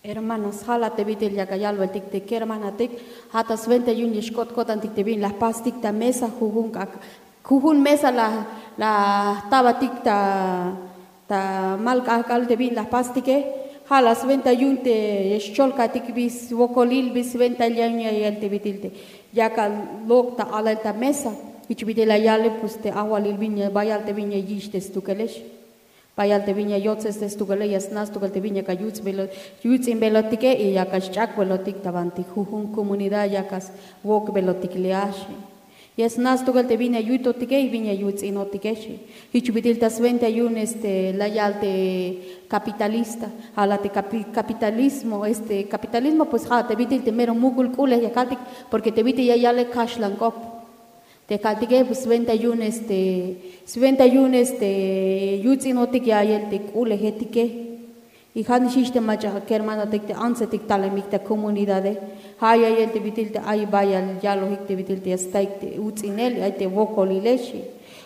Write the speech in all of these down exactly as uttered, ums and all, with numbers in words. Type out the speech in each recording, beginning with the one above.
Hermanos, ja' la te bit'il yak ayalbeltik te kermanotik, ja' ta swenta yu'un ya xk'ot ko'tantik te bin la jpastik ta mesa, jujun k'ak', jujun mesa la, la jtabatik ta, ta mal k'ajk'al te bin la jpastike. Ja' la swenta yu'un te ya xcholkaytik bi swokolil, bi swenta yu'un ya yal te bit'il te yak alok' ta alal ta mesa. Jich bit'il la yale, pues te ajwalil bin ya, bayal te bin ya yich' te stukelex. Bayal te bin ya yotzes te stukele, ya sna' stukel te bin yak ayuts'bel, yuts'inbelotike y yak ach'akbelotik ta banti jujun comunidad yak awokbelotik le a xi. Ya sna' stukel te bin ya yutotike y bin ya yuts'inotike xi. Jich bit'il ta swenta yu'un este la yal te capitalista, ja' la te capi-, capitalismo, este capitalismo, pues ja' te bit'il te mero muk'ul k'ulej ya kaltik, porque te bit'il ya yale kaxlan k'op. Te kaltike, pues swenta yu'un este, swenta yu'un este yuts'inotik ya yal te k'ulejetike. Y ja' nix jich te mach'a kermanotik te antsetik talemik ta comunidade, ja' ya yal te bit'il te ay bayal yalojik te bit'il te ya staik te uts'inel, ay te wokolile xi.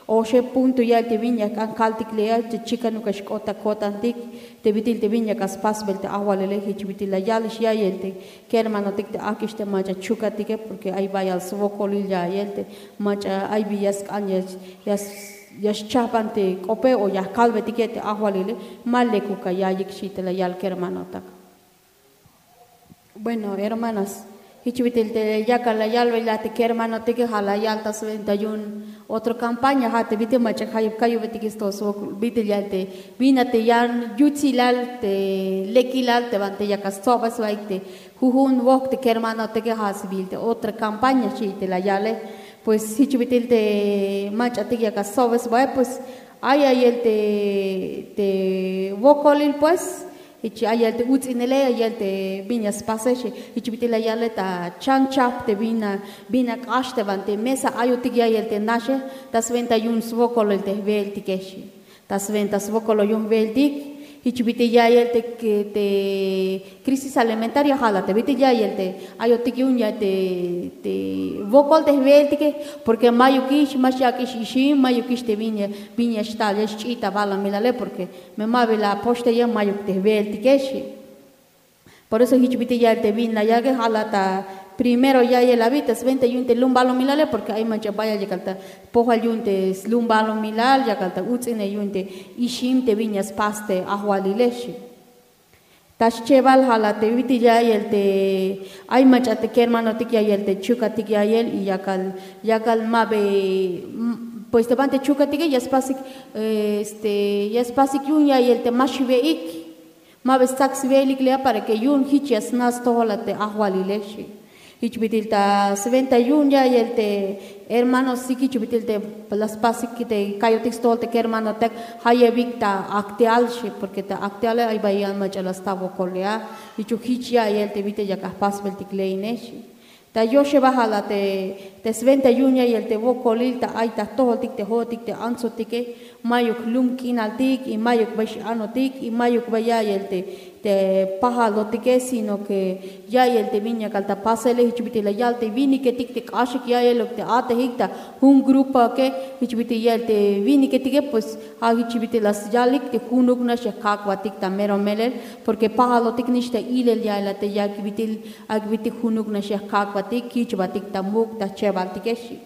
Oxeb punto ya yal te bin ya jk'an kaltik le a, te chikanuk ya xk'ot ta ko'tantik te bit'il te bin yak aspasbel te ajwalile. Jich bit'il la yalix ya yal te kermanotik te ak'ix te mach'a chukatike, porque ay bayal swokolil ya yal te mach'a ay bi ya sk'an ya, ya, ya xchajban te k'ope o ya jkalbetike te ajwalile, ma lekuk ya ya'iyik xi te la yal kermanotak. Bueno, hermanos, jich bit'il te yakal la yalbel a te kermanotike, ja' la yal ta swenta yu'un otro campaña, ja' te bit'il mach'a jayeb kayubetik sto swokol, bit'il ya yal te bin a te yan yutsilal te lekilal te banti yak astsob sbaik te jujun wok te kermanotike, ja' sbiil te otra campaña xi te la yale. Pues jich bit'il te mach'atik yak astsob sbae, pues ay ya yal te, te wokolil, pues jich ay ya yal te uts'inele, ay ya yal te bin ya spase xi. Jich bit'il la yale ta chanchaj te bin a, bin a k'ax te banti mesa ayotik ya yal te naxe, ta swenta yu'un swokolil te jbeeltike xi. Ta swenta swokol yu'un jbeeltik, jich bit'il ya yal te, te crisis alimentaria, ja' la te bit'il ya yal te ayotik yu'un ya te, te wokol te jbeeltike, porque mayukix, ma xyak'ix ixim, mayukix te bin ya, bin ya xtal ya xch'i' ta balumilale, porque me ma bi la apoxteye, mayuk te jbeeltike xi. Por eso jich bit'il ya yal te bin la yalike, ja' la ta primero ya yal abi ta swenta yu'un te lum balumilale, porque ay mach'a bayal yakal ta pojel yu'un te slum balumilal, yakal ta uts'inel yu'un te ixim te bin ya spas te ajwalile xi. Ta schebal ja' la te bit'il ya yal te, ay mach'a te kermanotik ya yal te chukatik ya yal y yakal, yakal ma bi, pues te banti chukatike ya spasik, este ya spasik yu'un ya yal te ma xwe'ik. Ma bi stsak swe'elik le a, para que yu'un jich ya sna' stojol a te ajwalile xi. Jich bit'il ta swenta yu'un ya yal te hermanosik, jich bit'il te la spasik te kayotik stojol te kermanotak, jayebik ta akteal xi, porque ta akteale ay bayal mach'a la sta wokol le a. Jichuk jich ya yal te bit'il yak ajpasbeltik le ine xi. Ta yoxeba ja' la te, te swenta yu'un ya yal te wokolil ta ay ta jtojoltik te jo'otik te antsotike, mayuk lum k'inaltik y mayuk bay x-anotik y mayuk bay ya yal te, te pajalotike, sino que ya yal te bin yakal ta pasele. Jich bit'il la yal te winiketik te k'axik ya yaluk te a'tejik ta jun grupoke, jich bit'il ya yal te winiketike, pues ja' jich bit'il la syalik te junuk nax ya jkak'batik ta mero melel, porque pajalotik nix ta ilel ya yal a te yak bit'il, yak bit'il junuk nax ya jkak'batik, kich'batik ta muk' ta jchebaltike xi.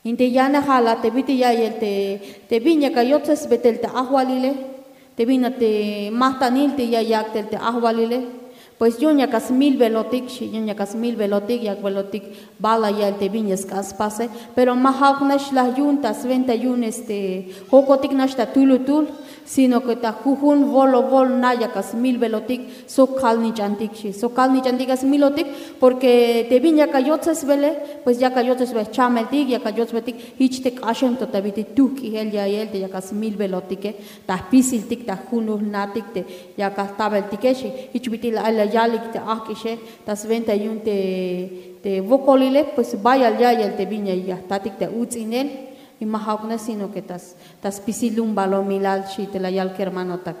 Inte yane ja' la te bit'il ya yal te, te bin yak ayotsesbe tel te ajwalile, te bin a te majtanil te ya yak' tel te ajwalile, pues yu'un yak asmilbelotik xi, yu'un yak asmilbelotik, yak'belotik bal a yal te bin ya sk'an spase, pero ma ja'uk nax la yu'un ta swenta yu'un este jokotik nax ta tulutul, sino que ta jujun wolowol na yak asmilbelotik sok kalnich'antik xi, sok kalnich'antik asmilotik, porque te bin yak ayotsesbele, pues yak ayotsesbe jchameltik, yak ayotsbetik jich te k'axem to ta bit'il tujk'ijel ya yal te yak asmilbelotike, ta jpisiltik ta junul natik te yak ajtabeltike xi. Jich bit'il ay la yalik te ajk'ixe, ta swenta yu'un te, te wokolile, pues bayal ya yal te bin ya, ya jtatik ta uts'inel, y ma ja'uk nax, sino que ta s-, ta spisil lum balumilal xi te la yal kermanotak.